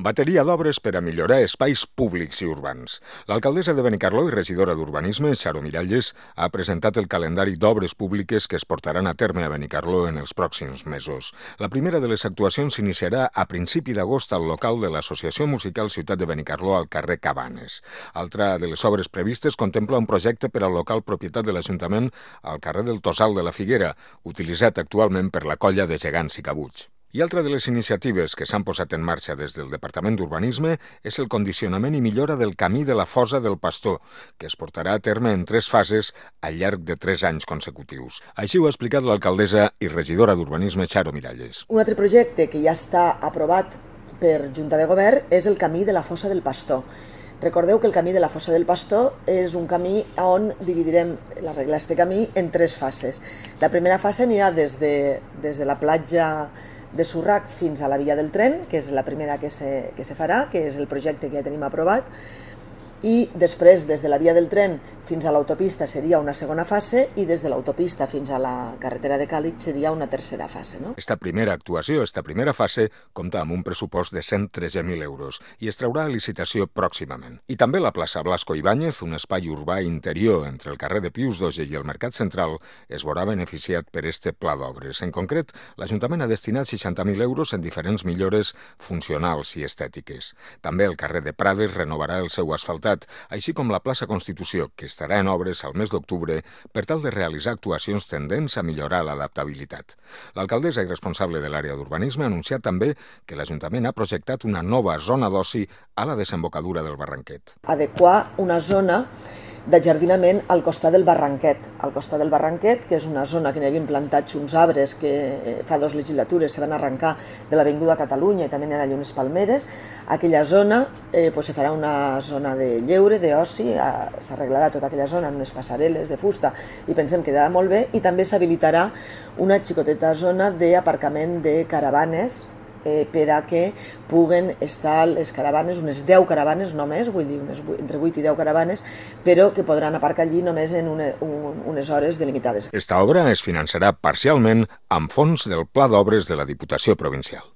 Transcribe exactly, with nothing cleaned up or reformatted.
Bateria d'obres per a millorar espais públics i urbans. L'alcaldessa de Benicarló i regidora d'Urbanisme, Xaro Miralles, ha presentat el calendari d'obres públiques que es portaran a terme a Benicarló en els pròxims mesos. La primera de les actuacions s'iniciarà a principi d'agost al local de l'Associació Musical Ciutat de Benicarló al carrer Cabanes. Altra de les obres previstes contempla un projecte per al local propietat de l'Ajuntament al carrer del Tossal de la Figuera, utilitzat actualment per la colla de gegants i cabuts. I altra de les iniciatives que s'han posat en marxa des del Departament d'Urbanisme és el condicionament i millora del camí de la Fosa del Pastor, que es portarà a terme en tres fases al llarg de tres anys consecutius. Així ho ha explicat l'alcaldessa i regidora d'Urbanisme, Xaro Miralles. Un altre projecte que ja està aprovat per Junta de Govern és el camí de la Fosa del Pastor. Recordeu que el camí de la Fosa del Pastor és un camí on dividirem la regla d'aquest camí en tres fases. La primera fase anirà des de, des de la platja de Surrac fins a la via del tren, que és la primera que se, que se farà, que és el projecte que ja tenim aprovat, i després des de la via del tren fins a l'autopista seria una segona fase i des de l'autopista fins a la carretera de Càlig seria una tercera fase. No? Esta primera actuació, esta primera fase, compta amb un pressupost de cent tretze mil euros i es traurà a licitació pròximament. I també la plaça Blasco Ibáñez, un espai urbà interior entre el carrer de Pius Doge i el Mercat Central, es veurà beneficiat per este pla d'obres. En concret, l'Ajuntament ha destinat seixanta mil euros en diferents millores funcionals i estètiques. També el carrer de Prades renovarà el seu asfaltat, així com la plaça Constitució, que estarà en obres al mes d'octubre per tal de realitzar actuacions tendents a millorar l'adaptabilitat. L'alcaldessa i responsable de l'àrea d'urbanisme ha anunciat també que l'Ajuntament ha projectat una nova zona d'oci a la desembocadura del Barranquet. Adequar una zona d'ajardinament al costat del Barranquet. Al costat del Barranquet, que és una zona que n'hi havien plantats uns arbres que fa dues legislatures se van arrencar de l'Avinguda Catalunya i també n'hi ha allà unes palmeres. Aquella zona eh, pues, se farà una zona de lleure, d'oci, s'arreglarà tota aquella zona amb unes passarel·les de fusta i pensem que quedarà molt bé, i també s'habilitarà una xicoteta zona d'aparcament de caravanes Eh, per a que puguen estar les caravanes, unes deu caravanes només, vull dir, unes, entre vuit i deu caravanes, però que podran aparcar allí només en una, un, unes hores delimitades. Esta obra es finançarà parcialment amb fons del Pla d'Obres de la Diputació Provincial.